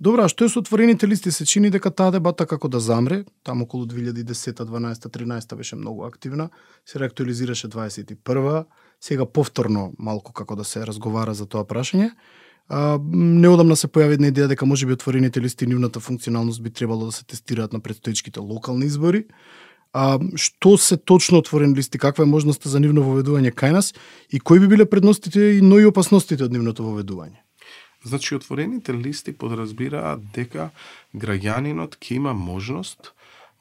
Добро, а што е со отворените листи? Се чини дека таа дебата како да замре, таму околу 2010, 12, 13 беше многу активна, се реактуализираше 21, сега повторно малку како да се разговара за тоа прашање. Неодамна се појави една идеја дека можеби отворените листи нивната функционалност би требало да се тестираат на предстоечките локални избори. Што се точно отворени листи, каква е можноста за нивно воведување кај нас и кои би биле предностите но и опасностите од нивното воведување? Значи, отворените листи подразбираат дека граѓанинот ќе има можност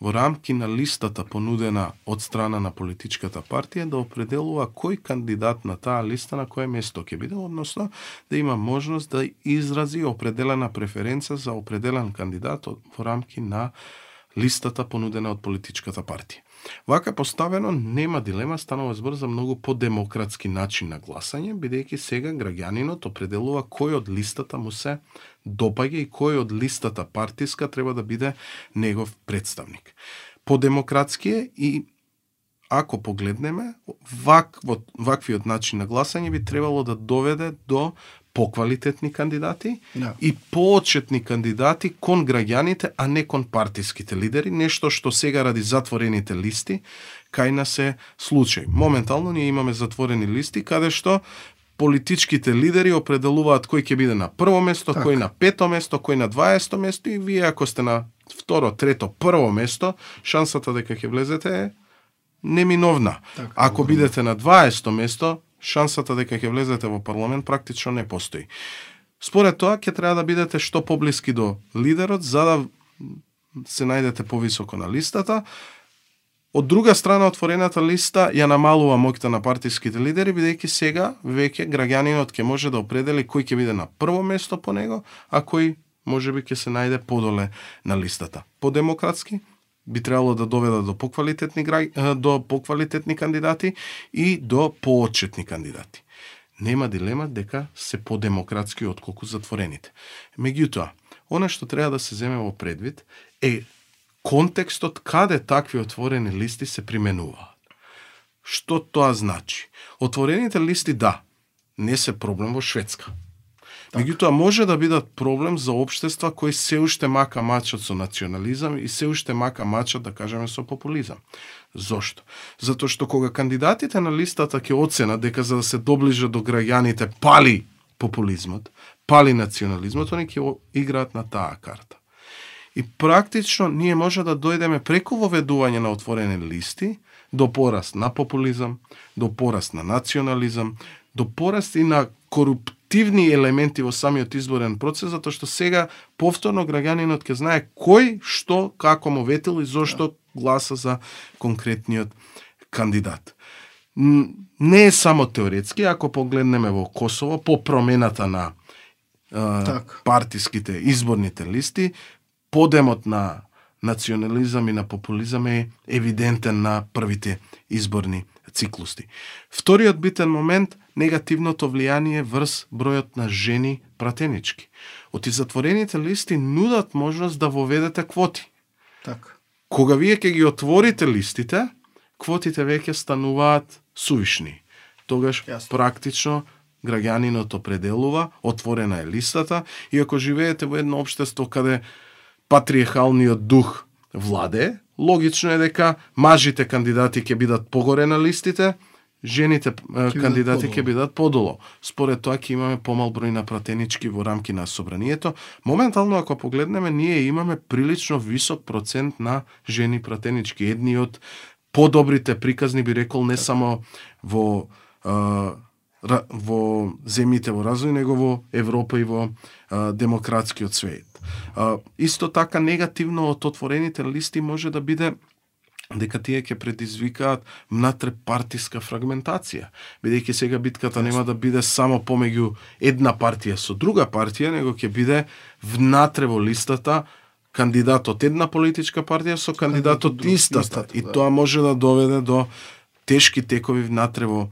во рамки на листата понудена од страна на политичката партија да определува кој кандидат на таа листа на кое место ќе биде, односно да има можност да изрази определена преференца за определен кандидат во рамки на листата понудена од политичката партија. Вака поставено нема дилема, станува збор за многу подемократски начин на гласање, бидејќи сега граѓанинот определува кој од листата му се допаѓа и кој од листата партиска треба да биде негов представник. Подемократски е и ако погледнеме, ваквиот начин на гласање би требало да доведе до поквалитетни кандидати и поочетни кандидати кон граѓаните, а не кон партиските лидери, нешто што сега ради затворените листи кај нас е случај. Моментално ние имаме затворени листи каде што политичките лидери определуваат кој ќе биде на прво место, кој на пето место, кој на 20 место и вие ако сте на второ, трето, прво место, шансата дека ќе влезете е неминовна. Ако бидете на 20 место, шансата дека ќе влезете во парламент практично не постои. Според тоа, ќе треба да бидете што поблиски до лидерот, за да се најдете повисоко на листата. Од друга страна, отворената листа ја намалува моќта на партиските лидери, бидејќи сега веќе граѓанинот ќе може да определи кој ќе биде на прво место по него, а кој можеби ќе се најде подоле на листата. Подемократски би требало да доведа до поквалитетни кандидати и до поочетни кандидати. Нема дилема дека се подемократски отколку затворените. Меѓутоа, она што треба да се земе во предвид е контекстот каде такви отворени листи се применуваат. Што тоа значи? Отворените листи, не се проблем во Шведска. Меѓутоа, може да бидат проблем за општества кои се уште мака мачат со национализам и се уште мака мачат, да кажеме, со популизам. Зошто? Затоа што кога кандидатите на листата ќе оценат дека за да се доближат до граѓаните пали популизмот, пали национализмот, они ќе играат на таа карта. И практично ние може да дојдеме преку воведување на отворени листи до пораст на популизам, до пораст на национализам, до пораст и на коруптивни елементи во самиот изборен процес, затоа што сега повторно граѓанинот ќе знае кој, што, како му ветил и зошто гласа за конкретниот кандидат. Не е само теоретски, ако погледнеме во Косово, по промената на партиските изборните листи, подемот на национализам и на популизам е евидентен на првите изборни циклуси. Вториот битен момент, негативното влијание врз бројот на жени пратенички. Оти затворените листи нудат можност да воведете квоти. Кога вие ќе ги отворите листите, квотите веќе стануваат сувишни. Тогаш практично граѓанинот определува, отворена е листата и ако живеете во едно општество каде патриархалниот дух владее, логично е дека мажите кандидати ќе бидат погоре на листите, жените кандидати ќе бидат подолу. Според тоа ќе имаме помал број на пратенички во рамки на собранието. Моментално, ако погледнеме, ние имаме прилично висок процент на жени пратенички. Едни од подобрите приказни, би рекол, не само во земјите во развој, него во Европа и во демократскиот свет. Исто така негативно од отворените листи може да биде дека тие ќе предизвикаат внатре-партиска фрагментација. Бидејќи сега битката нема да биде само помеѓу една партија со друга партија, него ќе биде внатре во листата кандидат од една политичка партија со кандидат од истата. И тоа може да доведе до тешки текови внатре во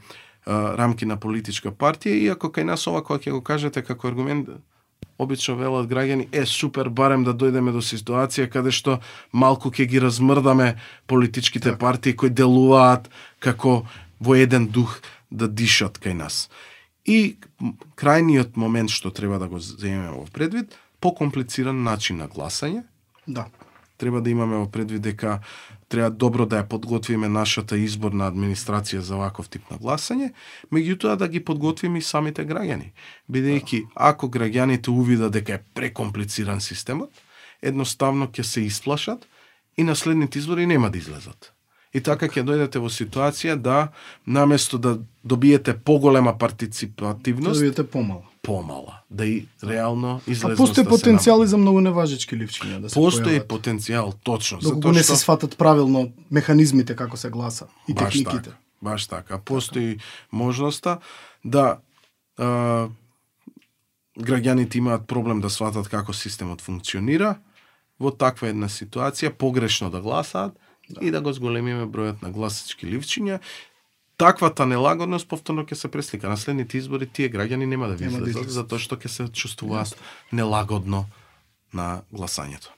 рамки на политичка партија, иако кај нас ова кога ќе го кажете како аргумент, обично велат граѓани, супер, барем да дојдеме до ситуација каде што малку ќе ги размрдаме политичките партии кои делуваат како во еден дух да дишат кај нас. И крајниот момент што треба да го земеме во предвид, покомплициран начин на гласање. Да. Треба да имаме во предвид дека треба добро да ја подготвиме нашата изборна администрација за ваков тип на гласање, меѓутоа да ги подготвиме и самите граѓани. Бидејќи ако граѓаните увидат дека е прекомплициран системот, едноставно ќе се исплашат и на следните избори нема да излезат. И така ќе дојдете во ситуација да наместо да добиете поголема партиципативност, добиете помала, да и реално излезноста. А постои потенцијал и за многу неважечки ливчиња да се постои појават. потенцијал, точно, Доколку не се сватат правилно механизмите како се гласа и техниките. Баш така. Постои можноста да граѓаните имаат проблем да сватат како системот функционира, во таква една ситуација погрешно да гласаат и да го зголемиме бројот на гласачки ливчиња. Таквата нелагодност повторно ќе се преслика на следните избори, тие граѓани нема да ви излезат, затоа што ќе се чувствуваат нелагодно на гласањето.